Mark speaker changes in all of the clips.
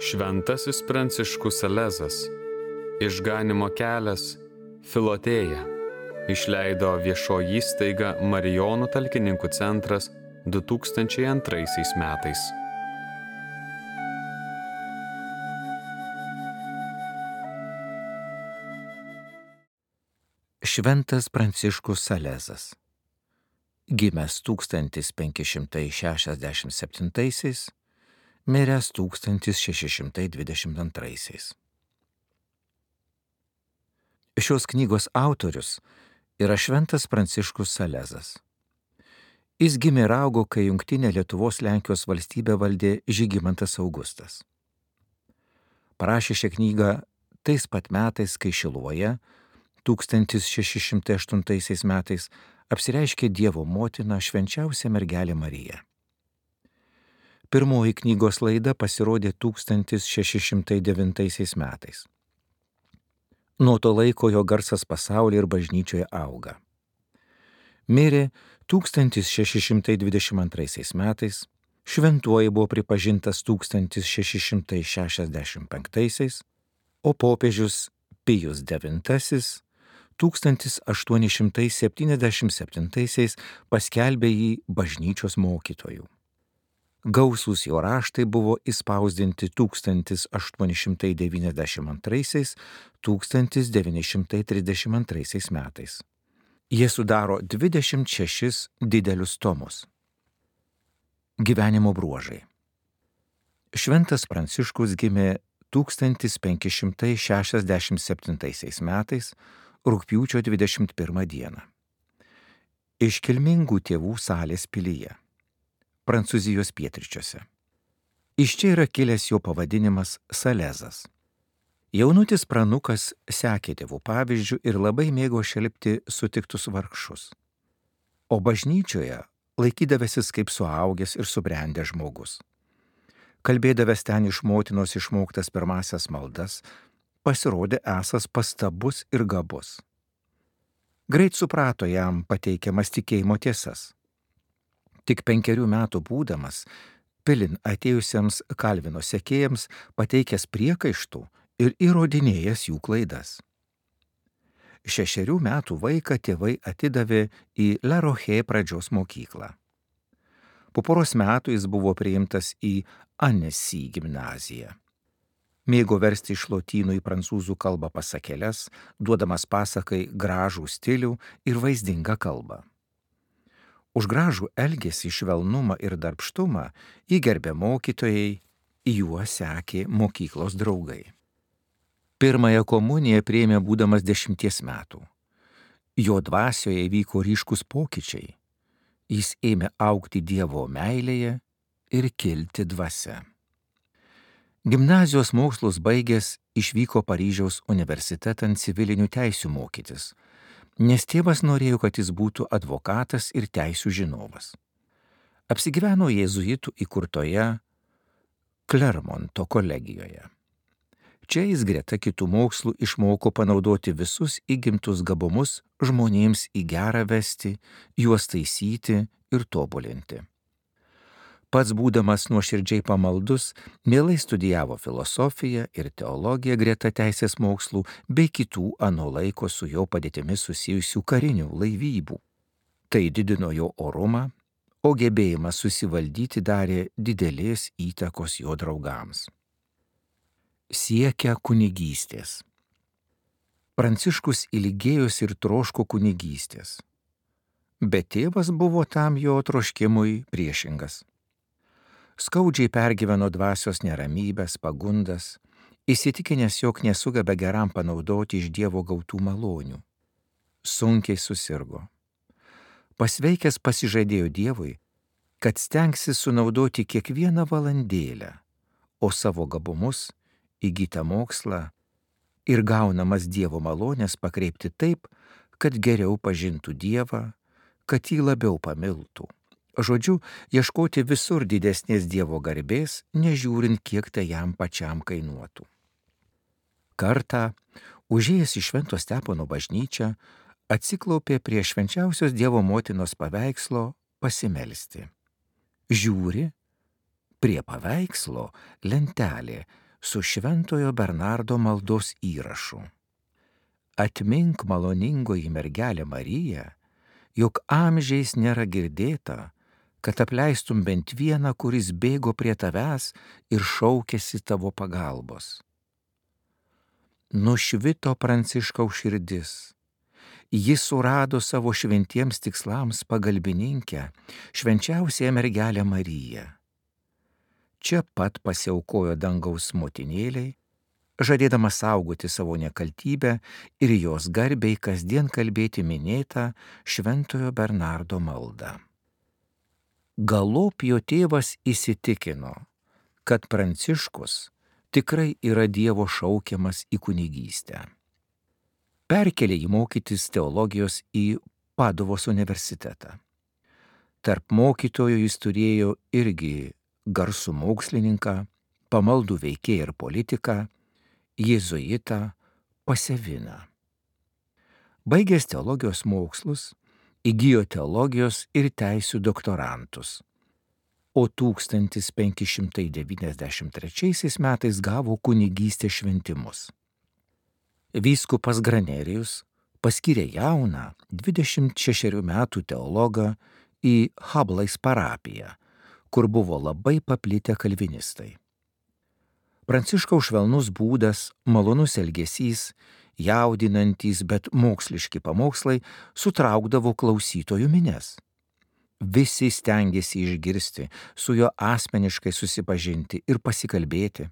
Speaker 1: Šventasis Pranciškus Salezas, Išganymo kelias, Filotėja, išleido viešoji įstaiga Marijonų talkininkų centras 2002 metais.
Speaker 2: Šventas Pranciškus Salezas, gimęs 1567, miręs 1622. Šios knygos autorius yra Šventas Pranciškus Salezas. Jis gimė ir augo, kai jungtinė Lietuvos-Lenkijos valstybė valdė Žygimantas Augustas. Parašė šią knygą tais pat metais, kai Šiluvoje 1608 metais apsireiškė Dievo motina švenčiausia mergelė Marija. Pirmoji knygos laida pasirodė 1609 metais. Nuo to laiko jo garsas pasaulyje ir bažnyčioje auga. Mirė 1622 metais, šventuoju buvo pripažintas 1665, o popiežius Pijus IX 1877 paskelbė jį bažnyčios mokytoju. Gausūs jo raštai buvo įspausdinti 1892–1932 metais. Jie sudaro 26 didelius tomus. Gyvenimo bruožai. Šventas Pranciškus gimė 1567 metais rugpjūčio 21 dieną. Iškilmingų tėvų Salės pilyje, Prancūzijos pietryčiuose. Iš čia yra kilęs jo pavadinimas Salezas. Jaunutis pranukas sekė tėvų pavyzdžių ir labai mėgo šelpti sutiktus vargšus. O bažnyčioje laikydavęsis kaip suaugęs ir subrendęs žmogus. Kalbėdavęs ten iš motinos išmoktas pirmasias maldas, pasirodė esąs pastabus ir gabus. Greit suprato jam pateikiamas tikėjimo tiesas. Tik 5 metų būdamas, pilin atėjusiems Kalvino sekėjams pateikęs priekaištų ir įrodinėjęs jų klaidas. 6 metų vaiką tėvai atidavė į La Roche pradžios mokyklą. Po poros metų jis buvo priimtas į Annecy gimnaziją. Mėgo versti iš lotynų į prancūzų kalbą pasakėles, duodamas pasakai gražų stilių ir vaizdingą kalbą. Už gražų elgesį, švelnumą ir darbštumą jį gerbė mokytojai, juo sekė mokyklos draugai. Pirmąją komuniją priėmė būdamas 10 metų. Jo dvasioje įvyko ryškus pokyčiai. Jis ėmė augti Dievo meilėje ir kilti dvasia. Gimnazijos mokslus baigęs išvyko Paryžiaus universitetan civilinių teisių mokytis, nes tėvas norėjo, kad jis būtų advokatas ir teisių žinovas. Apsigyveno jėzuitų įkurtoje Klermonto kolegijoje. Čia jis greta kitų mokslų išmoko panaudoti visus įgimtus gabumus žmonėms į gerą vesti, juos taisyti ir tobulinti. Pats būdamas nuoširdžiai pamaldus, mielai studijavo filosofiją ir teologiją greta teisės mokslų bei kitų ano laiko su jo padėtimi susijusių karinių laivybų. Tai didino jo orumą, o gebėjimas susivaldyti darė didelės įtakos jo draugams. Siekia kunigystės. Pranciškus ilgėjosi ir troško kunigystės, bet tėvas buvo tam jo troškimui priešingas. Skaudžiai pergyveno dvasios neramybės, pagundas, įsitikinęs, jog nesugeba geram panaudoti iš Dievo gautų malonių. Sunkiai susirgo. Pasveikęs pasižadėjo Dievui, kad stengsis sunaudoti kiekvieną valandėlę, o savo gabumus, įgytą mokslą ir gaunamas Dievo malonės pakreipti taip, kad geriau pažintų Dievą, kad jį labiau pamiltų. Žodžiu, ieškoti visur didesnės Dievo garbės, nežiūrint, kiek tai jam pačiam kainuotų. Kartą, užėjęs į Švento Stepono bažnyčią, atsiklaupė prie švenčiausios Dievo motinos paveikslo pasimelsti. Žiūri, prie paveikslo lentelė su Šventojo Bernardo maldos įrašu. Atmink, maloningoji mergelė Marija, jog amžiais nėra girdėta, kad apleistum bent vieną, kuris bėgo prie tavęs ir šaukėsi tavo pagalbos. Nušvito Pranciškaus širdis. Jis surado savo šventiems tikslams pagalbininkę, švenčiausiąją mergelę Mariją. Čia pat pasiaukojo dangaus motinėliai, žadėdama saugoti savo nekaltybę ir jos garbei kasdien kalbėti minėtą Šventojo Bernardo maldą. Galop jo tėvas įsitikino, kad Pranciškus tikrai yra Dievo šaukiamas į kunigystę. Perkelė jį mokytis teologijos į Paduvos universitetą. Tarp mokytojų jis turėjo irgi garsų mokslininką, pamaldų veikėją ir politiką, jėzuitą Paseviną. Baigęs teologijos mokslus, įgijo teologijos ir teisių doktorantus, o 1593 metais gavo kunigystės šventimus. Vyskupas Granerijus paskyrė jauną 26 metų teologą į Hablais parapiją, kur buvo labai paplitę kalvinistai. Pranciškaus švelnus būdas, malonus elgesys, jaudinantys, bet moksliški pamokslai sutraukdavo klausytojų minias. Visi stengėsi išgirsti, su juo asmeniškai susipažinti ir pasikalbėti.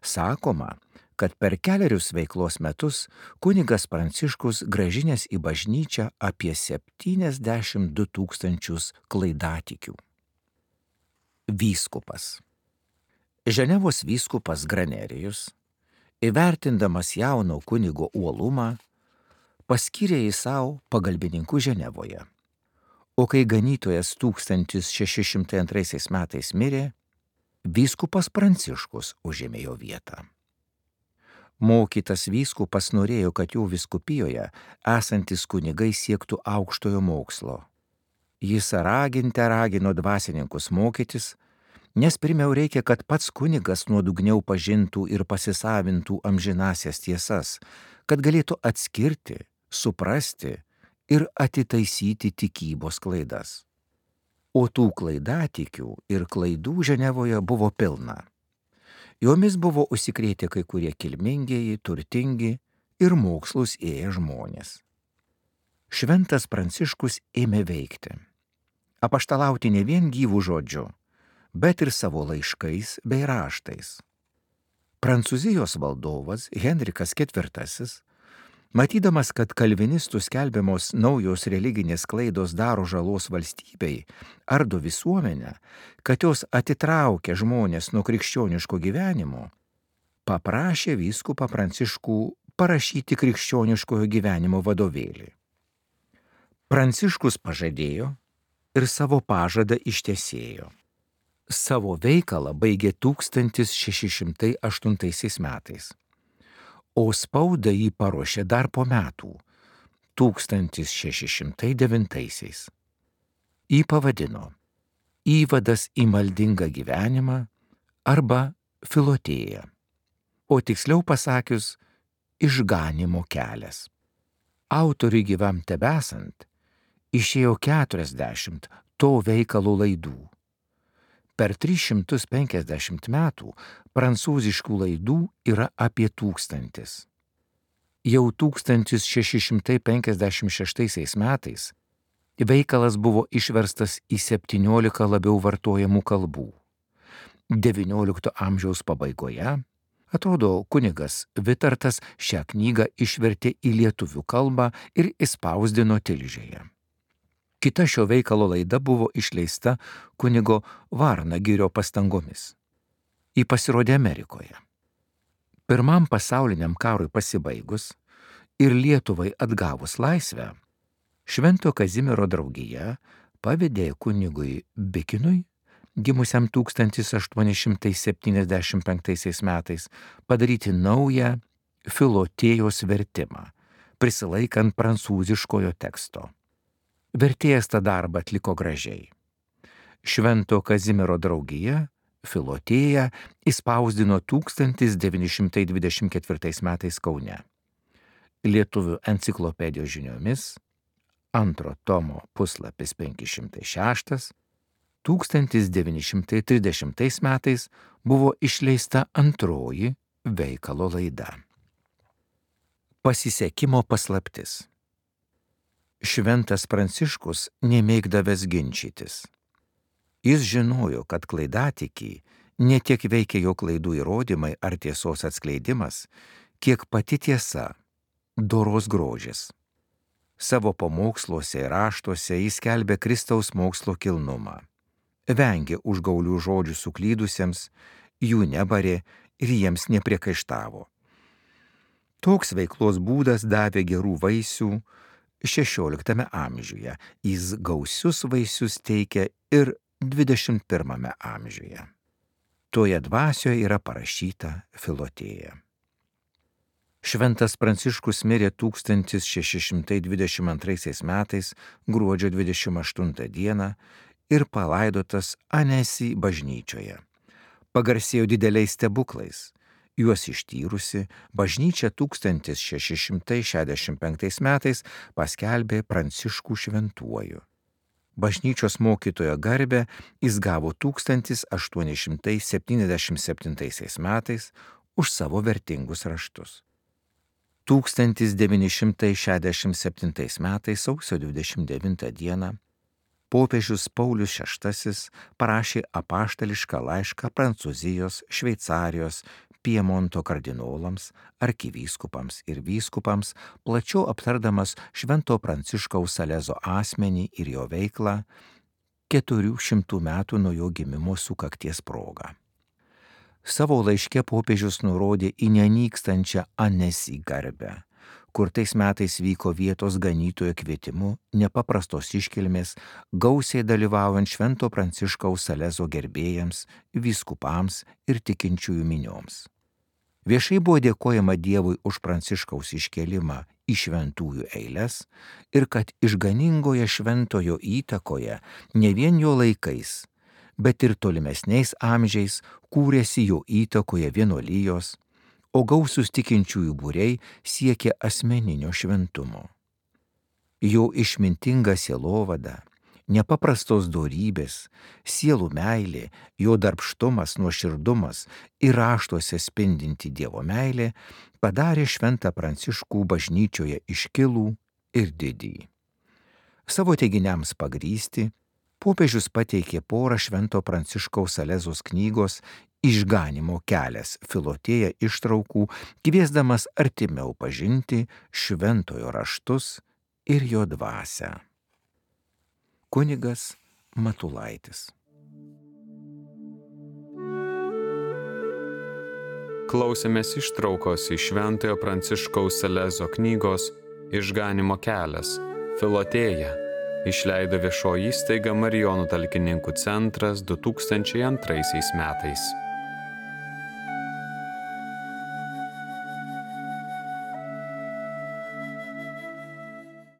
Speaker 2: Sakoma, kad per 4 veiklos metus kunigas Pranciškus grąžinęs į bažnyčią apie 72 000 klaidatikių. Vyskupas. Ženevos vyskupas Granerijus, įvertindamas jauno kunigo uolumą, paskyrė jį savo pagalbininku Ženevoje. O kai ganytojas 1602 metais mirė, vyskupas Pranciškus užėmė jo vietą. Mokytas vyskupas norėjo, kad jų vyskupijoje esantis kunigai siektų aukštojo mokslo. Jis ragino dvasininkus mokytis, nes pirmiau reikia, kad pats kunigas nuodugniau pažintų ir pasisavintų amžinasias tiesas, kad galėtų atskirti, suprasti ir atitaisyti tikybos klaidas. O tų klaidatikių ir klaidų Ženevoje buvo pilna. Jomis buvo užsikrėtę kai kurie kilmingieji, turtingi ir mokslus ėję žmonės. Šventas Pranciškus ėmė veikti, apaštalauti ne vien gyvų žodžiu, bet ir savo laiškais bei raštais. Prancūzijos valdovas Henrikas IV, matydamas, kad kalvinistų skelbiamos naujos religinės klaidos daro žalos valstybei, ardo visuomenę, kad jos atitraukia žmonės nuo krikščioniško gyvenimo, paprašė vyskupą Pranciškų parašyti krikščioniškojo gyvenimo vadovėlį. Pranciškus pažadėjo ir savo pažadą ištesėjo. Savo veikalą baigė 1608 metais, o spaudą jį paruošė dar po metų, 1609. Jį pavadino Įvadas į maldingą gyvenimą arba Filotėja, o tiksliau pasakius Išganymo kelias. Autoriui gyvam tebesant išėjo 40 to veikalo laidų. Per 350 metų prancūziškų laidų yra apie 1000. Jau 1656 metais veikalas buvo išverstas į 17 labiau vartojamų kalbų. XIX amžiaus pabaigoje, atrodo, kunigas Vitartas šią knygą išvertė į lietuvių kalbą ir išspausdino Tilžėje. Kita šio veikalo laida buvo išleista kunigo Varnagirio pastangomis. Ji pasirodė Amerikoje. Pirmam pasauliniam karui pasibaigus ir Lietuvai atgavus laisvę, Švento Kazimiero draugija pavedė kunigui Bikinui, gimusiam 1875 metais, padaryti naują Filotėjos vertimą, prisilaikant prancūziškojo teksto. Vertėjas tą darbą atliko gražiai. Švento Kazimiero draugija Filotėją išspausdino 1924 metais Kaune. Lietuvių enciklopedijos žiniomis 2 tomo puslapis 506, 1930 metais buvo išleista antroji veikalo laida. Pasisekimo paslaptis. Šventas Pranciškus nemėgdavęs ginčytis. Jis žinojo, kad klaidatikį ne tiek veikia jo klaidų įrodymai ar tiesos atskleidimas, kiek pati tiesa, doros grožis. Savo pamoksluose ir raštuose jis skelbė Kristaus mokslo kilnumą. Vengė užgaulių žodžių suklydusiems, jų nebarė ir jiems nepriekaištavo. Toks veiklos būdas davė gerų vaisių XVI amžiuje, jis gausius vaisius teikia ir XXI amžiuje. Toje dvasioje yra parašyta Filotėja. Šventas Pranciškus mirė 1622 metais gruodžio 28 dieną ir palaidotas Anesi bažnyčioje. Pagarsėjo dideliais stebuklais. Juos ištyrusi, bažnyčia 1665 metais paskelbė Pranciškų šventuoju. Bažnyčios mokytojo garbę jis gavo 1877 metais už savo vertingus raštus. 1967 metais sausio 29 dieną popiežius Paulius VI parašė apaštališką laišką Prancūzijos, Šveicarijos, Piemonto kardinolams, arkivyskupams ir vyskupams, plačiau aptardamas Švento Pranciškaus Salezo asmenį ir jo veiklą 400 metų nuo jo gimimo sukakties proga. Savo laiške popiežius nurodė į nenykstančią Anesi garbę, kur tais metais vyko vietos ganytojo kvietimu nepaprastos iškilmės, gausiai dalyvaujant Švento Pranciškaus Salezo gerbėjams, vyskupams ir tikinčiųjų minioms. Viešai buvo dėkojama Dievui už Pranciškaus iškėlimą į šventųjų eiles ir kad išganingoje šventojo įtakoje ne vien jo laikais, bet ir tolimesniais amžiais kūrėsi jo įtakoje vienuolijos, o gausūs tikinčiųjų būriai siekė asmeninio šventumo. Jo išmintinga sielovada, nepaprastos dorybės, sielų meilė, jo darbštumas, nuoširdumas ir raštuose spindinti Dievo meilė padarė Šventą Pranciškų bažnyčioje iškilų ir didį. Savo teiginiams pagrysti, popiežius pateikė porą Švento Pranciškaus Salezos knygos Išganymo kelias Filotėja ištraukų, kviesdamas artimiau pažinti šventojo raštus ir jo dvasią. Kunigas Matulaitis.
Speaker 1: Klausėmės ištraukos iš Šventojo Pranciškaus Salezo knygos Išganymo kelias Filotėja. Išleido viešoji įstaiga Marijonų talkininkų centras 2002 metais.